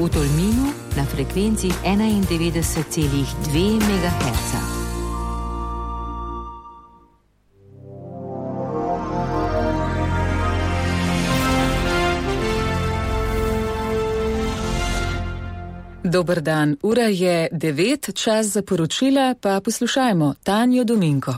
v Tolminu na frekvenci 91,2 MHz. Dober dan, ura je 9, čas za poročila, pa poslušajmo Tanjo Dominko.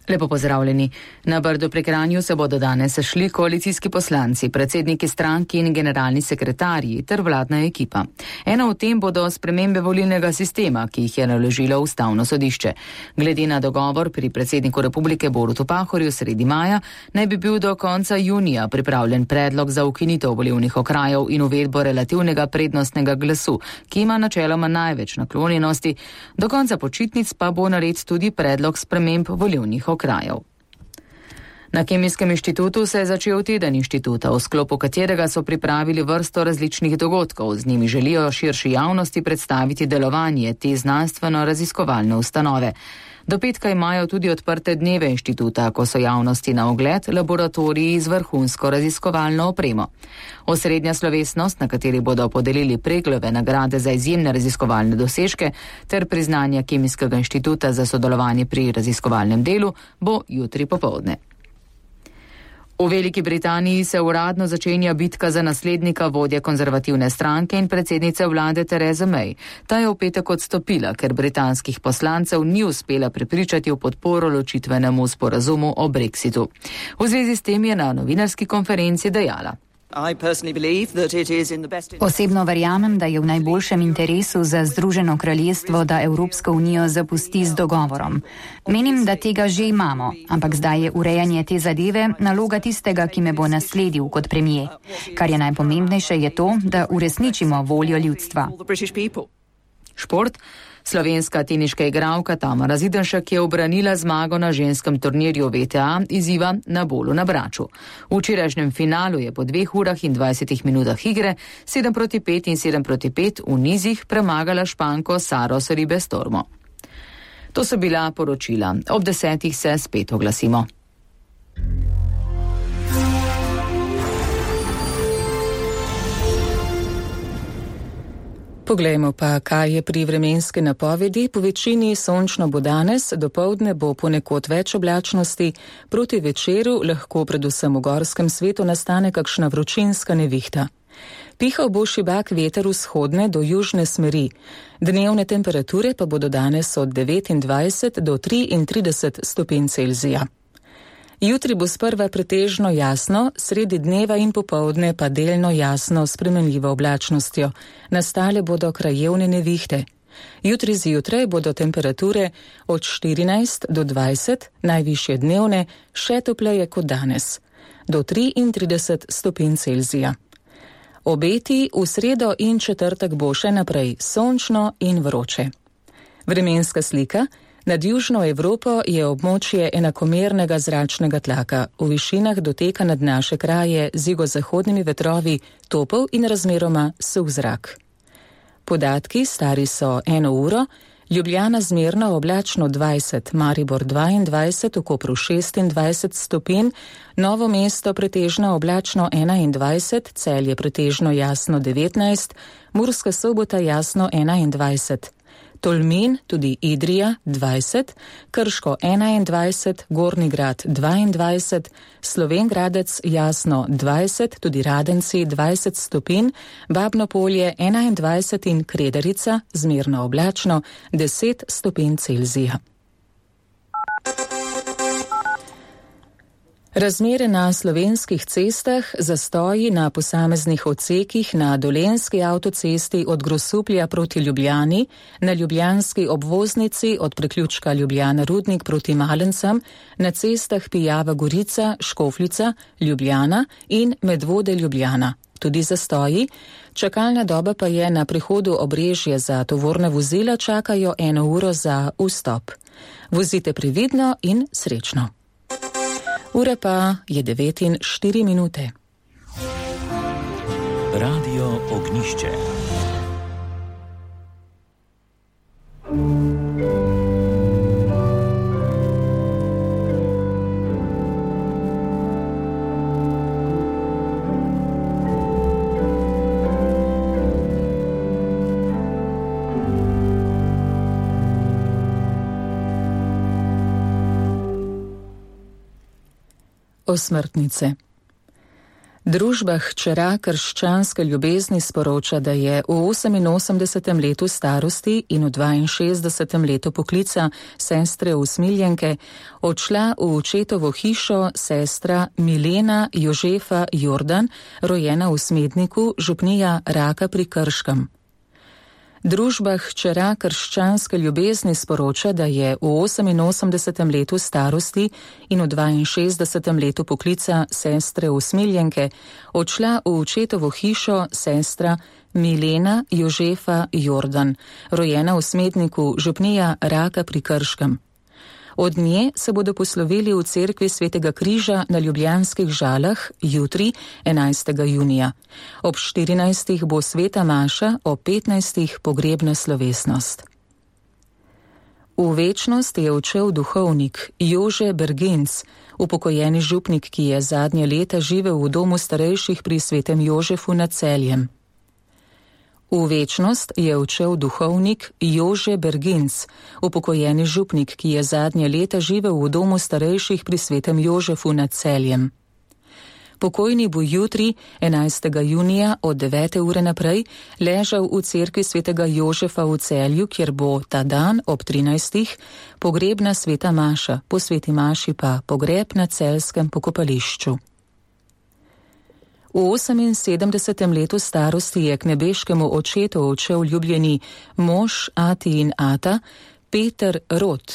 Lepo pozdravljeni. Na Brdu pri Kranju se bodo danes sešli koalicijski poslanci, predsedniki strank in generalni sekretarji ter vladna ekipa. Ena od tem bodo spremembe volilnega sistema, ki jih je naložilo Ustavno sodišče. Glede na dogovor pri predsedniku republike Borutu Pahorju sredi maja, naj bi bil do konca junija pripravljen predlog za ukinitev volilnih okrajev in uvedbo relativnega prednostnega glasu, ki ima načeloma največ naklonjenosti. Do konca počitnic pa bo nared tudi predlog sprememb volilnih okrajev. Na Kemijskem inštitutu se je začel teden inštituta, v sklopu katerega so pripravili vrsto različnih dogodkov. Z njimi želijo širši javnosti predstaviti delovanje te znanstveno-raziskovalne ustanove. Do petka imajo tudi odprte dneve inštituta, ko so javnosti na ogled laboratoriji z vrhunsko raziskovalno opremo. Osrednja slovesnost, na kateri bodo podelili Preglove nagrade za izjemne raziskovalne dosežke ter priznanja Kemijskega inštituta za sodelovanje pri raziskovalnem delu, bo jutri popoldne. V Veliki Britaniji se uradno začenja bitka za naslednika vodje konzervativne stranke in predsednice vlade Therese May. Ta je v petek odstopila, ker britanskih poslancev ni uspela prepričati v podporo ločitvenemu sporazumu o Brexitu. V zvezi s tem je na novinarski konferenci dejala: Osebno verjamem, da je v najboljšem interesu za Združeno kraljestvo, da Evropsko unijo zapusti z dogovorom. Menim, da tega že imamo, ampak zdaj je urejanje te zadeve naloga tistega, ki me bo nasledil kot premijer. Kar je najpomembnejše, je to, da uresničimo voljo ljudstva. Šport. Slovenska teniška igralka Tamara Zidanšek je ubranila zmago na ženskem turnirju VTA izziva na Bolu na Braču. V včerajšnjem finalu je po 2 urah in 20 minutah igre 7-5 in 7-5 v nizih premagala Španko Saro Sorribes Tormo. To so bila poročila. Ob 10 se spet oglasimo. Poglejmo pa, kaj je pri vremenski napovedi. Po večini sončno bo danes, dopoldne bo ponekod več oblačnosti, proti večeru lahko predvsem v gorskem svetu nastane kakšna vročinska nevihta. Pihal bo šibak veter vzhodne do južne smeri. Dnevne temperature pa bodo danes od 29 do 33 stopinj Celzija. Jutri bo sprva pretežno jasno, sredi dneva in popoldne pa delno jasno s spremenljivo oblačnostjo. Nastale bodo krajevne nevihte. Jutri zjutraj bodo temperature od 14 do 20, najvišje dnevne, še topleje kot danes, do 33 stopinj Celzija. Obeti v sredo in četrtek bo še naprej sončno in vroče. Vremenska slika. Nad Južno Evropo je območje enakomernega zračnega tlaka. V višinah doteka nad naše kraje z jugozahodnimi vetrovi topel in razmeroma suh zrak. Podatki stari so 1 uro, Ljubljana zmerno oblačno 20, Maribor 22, v Kopru 26 stopinj, Novo mesto pretežno oblačno 21, Celje pretežno jasno 19, Murska Sobota jasno 21. Tolmin, tudi Idrija, 20, Krško 21, Gornji Grad 22, Slovenj Gradec jasno 20, tudi Radenci 20 stopinj, Babno Polje 21 in Kredarica zmerno oblačno 10 stopinj Celzija. Razmere na slovenskih cestah, zastoji na posameznih odsekih na Dolenjski avtocesti od Grosuplja proti Ljubljani, na ljubljanski obvoznici od priključka Ljubljana-Rudnik proti Malencem, na cestah Pijava Gorica, Škofljica, Ljubljana in Medvode Ljubljana. Tudi zastoji. Čakalna doba pa je na prihodu Obrežje za tovorna vozila, čakajo 1 uro za vstop. Vozite previdno in srečno. Ura pa je 9:04. Radio Ognišče. Osmrtnice. Družba hčera krščanske ljubezni sporoča, da je v 88. letu starosti in v 62. letu poklica sestre usmiljenke odšla v očetovo hišo sestra Milena Jožefa Jordan, rojena v Smedniku, župnija Raka pri Krškem. Družba hčera krščanske ljubezni sporoča, da je v 88. letu starosti in v 62. letu poklica sestre usmiljenke odšla v očetovo hišo sestra Milena Jožefa Jordan, rojena v Smedniku, župnija Raka pri Krškem. Od nje se bodo poslovili v cerkvi Svetega križa na Ljubljanskih Žalah jutri, 11. junija. Ob 14. bo sveta maša, ob 15. pogrebna slovesnost. V večnost je odšel duhovnik Jože Berginc, upokojeni župnik, ki je zadnje leta živel v domu starejših pri Svetem Jožefu nad Celjem. V večnost je odšel duhovnik Jože Berginc, upokojeni župnik, ki je zadnje leta živel v domu starejših pri Svetem Jožefu nad Celjem. Pokojni bo jutri, 11. junija od 9. ure naprej, ležal v cerkvi Svetega Jožefa v Celju, kjer bo ta dan ob 13. pogrebna sveta maša, po sveti maši pa pogreb na celjskem pokopališču. V 78. letu starosti je k nebeškemu očetu odšel ljubljeni mož ati in ata Peter Rot.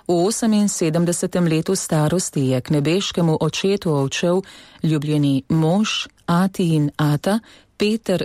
V 78. letu starosti je k nebeškemu očetu odšel ljubljeni mož ati in ata Peter